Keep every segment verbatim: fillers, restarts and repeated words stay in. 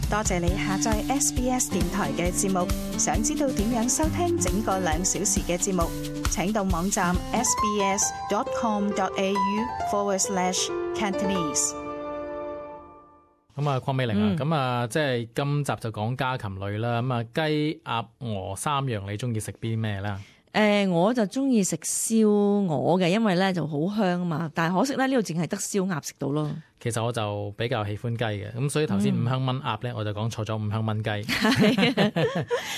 多謝你下載 S B S 電台嘅節目。想知道點樣收聽整個兩小時嘅節目，請到網站 sbs.com.au forward slash Cantonese。咁啊，鄺美玲啊，咁、嗯、啊，即係今集就講家禽類啦。咁啊，雞、鴨、鵝三樣，你中意食邊咩咧？誒、呃，我就中意食燒鵝嘅，因為咧就好香啊嘛。但係可惜咧，呢度淨係得燒鴨食到咯。其實我就比較喜歡雞嘅，咁所以頭先五香炆鴨咧，我就講錯咗五香炆雞。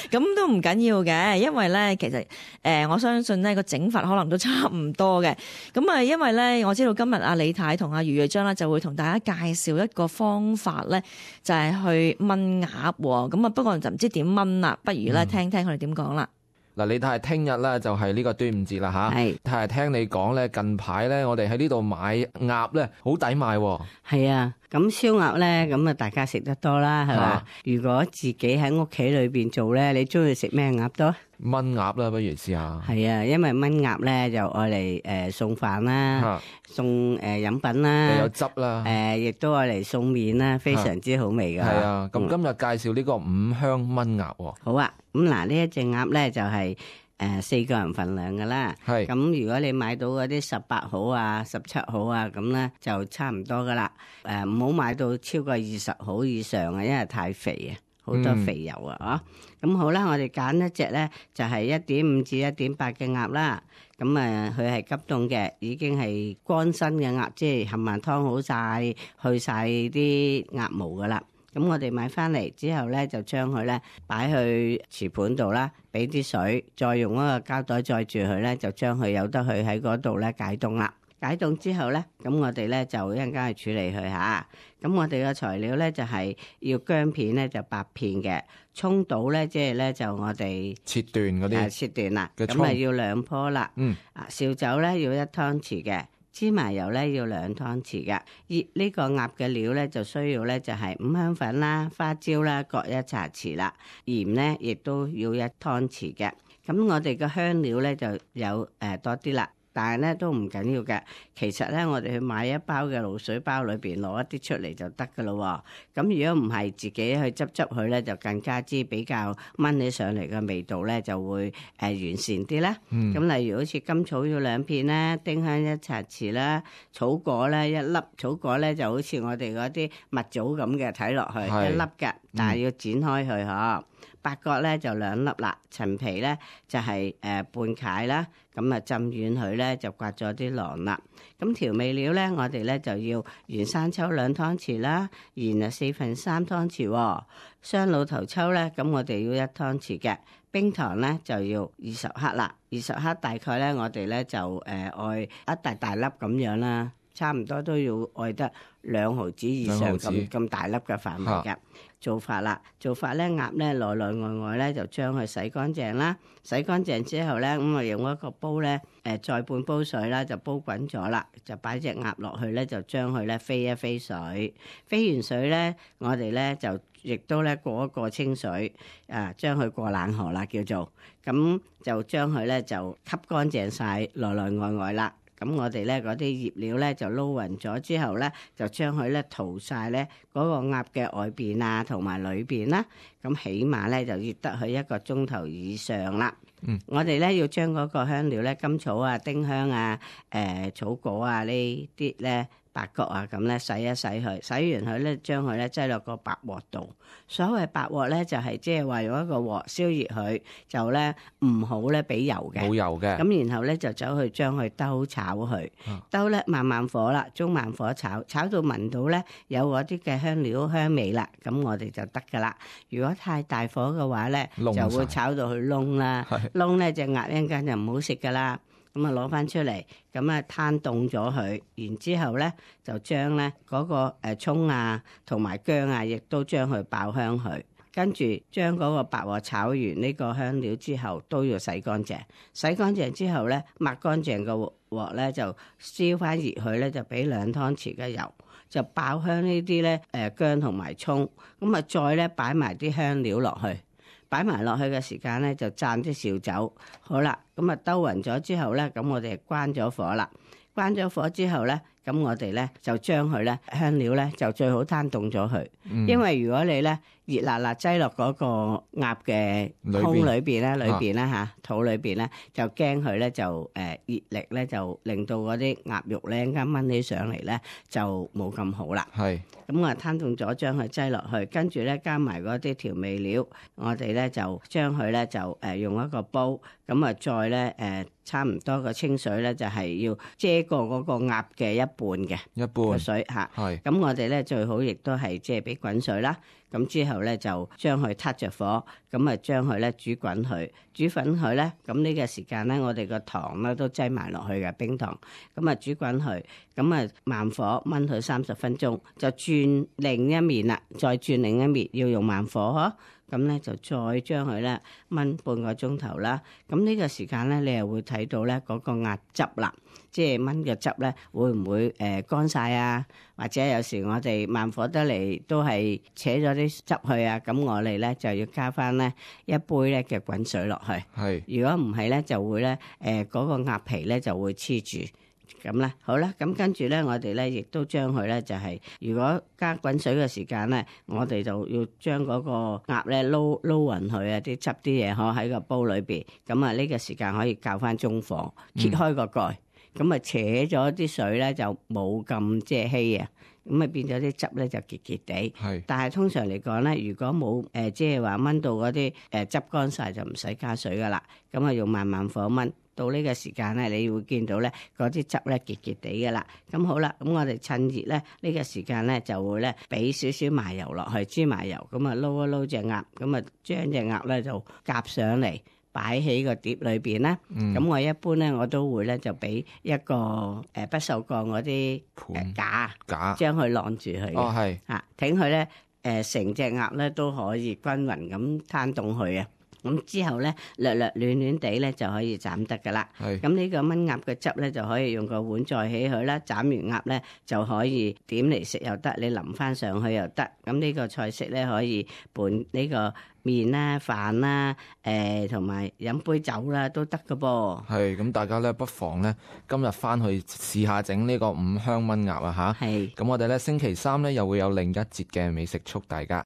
咁都唔緊要嘅，因為咧其實誒、呃，我相信呢個整法可能都差唔多嘅。咁啊，因為咧我知道今日阿李太同阿余瑞章咧就會同大家介紹一個方法咧，就係、是、去炆鴨。咁啊，不過就唔知點炆啦，不如咧聽聽佢哋點講啦。嗱，你睇聽日咧就係呢個端午節啦吓，係，係聽你講咧，近排咧我哋喺呢度買鴨咧好抵買喎。係啊，咁燒鴨咧，咁啊大家食得多啦，係嘛？如果自己喺屋企裏邊做咧，你中意食咩鴨多？炆鴨啦，不如試下。係啊，因為炆鴨咧就愛嚟誒送飯啦，送誒飲品啦，又有汁啦，誒亦都愛嚟送麵啦，非常之好味噶。係啊，咁今日介紹呢個五香炆鴨喎。好啊，咁嗱呢一隻鴨咧就係誒四個人份量噶啦。係咁，如果你買到嗰啲十八號啊、十七號啊，咁咧就差唔多噶啦。誒唔好買到超過二十號以上啊，因為太肥啊。好多肥油啊！咁、嗯、好啦，我哋揀一隻咧，就係一點五至一點八嘅鴨啦。咁誒，佢係急凍嘅，已經係乾身嘅鴨，即係冚唪唥湯好晒，去晒啲鴨毛噶啦。咁我哋買翻嚟之後咧，就將佢咧擺去瓷盤度啦，俾啲水，再用一個膠袋載住佢咧，就將佢由得佢喺嗰度咧解凍啦。解凍之後咧，咁我哋咧就一陣間去處理佢嚇。咁我哋嘅材料咧就係要薑片咧就八片嘅，葱倒咧即係咧就我哋切段嗰啲，切段啦。咁啊要兩棵啦。嗯。啊，紹酒咧要一湯匙嘅，芝麻油咧要兩湯匙嘅。呢呢個鴨嘅料咧就需要咧就係五香粉啦、花椒啦各一茶匙啦，鹽咧亦都要一湯匙嘅。咁我哋嘅香料咧就有誒多啲啦。但係咧都唔緊要嘅，其實咧我哋去買一包嘅鹵水包裏邊攞一啲出嚟就得噶咯。咁如果唔係自己去執執佢咧，就更加之比較炆起上嚟嘅味道咧就會誒、呃、完善啲啦。咁、嗯、例如好似甘草要兩片啦，丁香一茶匙啦，草果咧一粒，草果咧就好似我哋嗰啲蜜棗咁嘅睇落去一粒嘅，但係要剪開佢嗬。八角咧就兩粒啦，陳皮咧就係、是、誒、呃、半塊啦，咁啊浸軟佢咧就刮咗啲囊啦。咁調味料咧，我哋咧就要原生抽兩湯匙啦，鹽啊四分三湯匙、哦，雙老頭抽咧，咁我哋要一湯匙嘅，冰糖咧就要二十克啦，二十克大概咧我哋咧就誒愛一大大粒咁樣啦，差唔多都要愛得兩毫子以上咁咁大粒嘅範圍嘅。做法啦，做法咧鴨咧內內外外咧就將佢洗乾淨啦，洗乾淨之後咧咁我用一個煲咧誒再半煲水啦，就煲滾咗啦，就擺隻鴨落去咧，就將佢咧飛一飛水，飛完水咧我哋咧就亦都咧過一過清水啊，將佢過冷河啦叫做，咁就將佢咧就吸乾淨晒內內外外啦。咁我哋咧嗰啲醃料咧就撈勻咗之後咧，就將佢咧塗晒咧嗰個鴨嘅外邊啊同埋裏邊啦。咁起碼咧就醃得佢一個鐘頭以上啦。嗯，我哋咧要將嗰個香料咧，甘草啊、丁香啊、誒、呃、草果啊呢啲咧。八角啊，咁咧洗一洗佢，洗完佢咧，將佢咧擠落個白鑊度。所謂白鑊咧，就係即係話用一個鑊燒熱佢，就咧唔好咧俾油嘅，冇油嘅。咁然後咧就走去將佢兜炒佢，兜咧慢慢火啦，中慢火炒，炒到聞到咧有嗰啲嘅香料香味啦，咁我哋就得噶啦。如果太大火嘅話咧，就會炒到佢燶啦，燶咧隻鴨一陣間就唔好食噶啦。咁啊攞翻出嚟，咁啊攤凍咗佢，然之後咧就將咧嗰個誒葱啊同埋薑啊，亦都將佢爆香佢，跟住將嗰個白鑊炒完呢個香料之後，都要洗乾淨。洗乾淨之後咧，抹乾淨個鑊咧就燒翻熱佢咧，就俾兩湯匙嘅油，就爆香呢啲咧誒薑同埋葱，咁啊再咧擺埋啲香料落去。擺埋落去嘅時間咧，就灒啲紹酒。好啦，咁啊兜勻咗之後咧，咁我哋關咗火啦。關咗火之後咧，咁我哋咧就將佢咧香料咧就最好攤凍咗佢，嗯、因為如果你咧熱辣辣擠落嗰個鴨嘅胸裏邊咧，裏邊咧嚇肚裏邊咧，就驚佢咧就誒熱力咧就令到嗰啲鴨肉咧啱燜起上嚟咧就冇咁好啦。係咁我攤凍咗，將佢擠落去，跟住咧加埋嗰啲調味料，我哋咧就將佢咧就誒用一個煲，咁啊再咧誒差唔多個清水咧就係要遮過嗰個鴨嘅一半嘅一半嘅水嚇。係咁我哋咧最好亦都係即係俾滾水啦。咁之後咧就將佢撻着火，咁啊將佢咧煮滾佢，煮滾佢咧，咁呢個時間咧我哋個糖咧都擠埋落去嘅冰糖，咁啊煮滾佢，咁啊慢火燜佢三十分鐘，就轉另一面啦，再轉另一面要用慢火嗬。咁咧就再將佢咧燜半個鐘頭啦。咁呢個時間咧，你又會睇到咧嗰個鴨汁啦，即係燜嘅汁咧會唔會誒乾晒啊？或者有時我哋慢火得嚟都係扯咗啲汁去啊。咁我哋咧就要加翻咧一杯咧嘅滾水落去。係，如果唔係咧就會咧誒嗰個鴨皮咧就會黐住。咁咧，好啦，咁跟住咧，我哋咧亦都將佢咧就係，如果加滾水嘅時間咧，我哋就要將嗰個鴨咧撈撈勻佢啊，啲汁啲嘢可喺個煲裏邊。咁啊，呢個時間可以較翻中火，揭開個蓋，咁啊扯咗啲水咧就冇咁即係稀啊，咁啊變咗啲汁咧就結結地。係，但係通常嚟講咧，如果冇誒即係話燜到嗰啲誒汁乾晒，就唔使加水噶啦。咁啊用慢慢火燜。到呢個時間咧，你會見到咧嗰啲汁咧結結地嘅啦。咁好啦，咁我哋趁熱咧呢個時間咧就會咧俾少少麻油落去，豬麻油，咁啊撈一撈隻鴨，咁啊將隻鴨咧就夾上嚟擺喺個碟裏邊啦。咁、嗯、我一般咧我都會咧就俾一個誒不鏽鋼嗰啲誒架架將佢晾住佢。哦，係嚇，等佢咧誒成隻鴨咧都可以均勻咁攤凍佢啊。咁之後咧，略略暖暖地咧就可以斬得噶啦。係。咁呢個炆鴨嘅汁咧就可以用個碗載起佢啦。斬完鴨咧就可以點嚟食又得，你淋翻上去又得。咁呢個菜式咧可以拌呢個麵啦、飯啦、誒同埋飲杯酒啦都得噶噃。係。咁大家咧不妨咧今日翻去試下整呢個五香炆鴨啊嚇。係。咁我哋咧星期三咧又會有另一節嘅美食速遞㗎。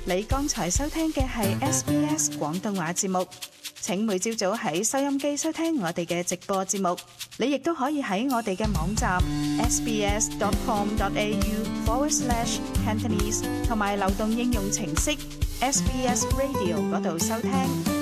你剛才收聽嘅係 S B S 廣東話節目，請每朝早喺收音機收聽我哋嘅直播節目。你亦都可以喺我哋嘅網站 sbs dot com dot a u forward slash Cantonese 同埋流動應用程式 S B S Radio 嗰度收聽。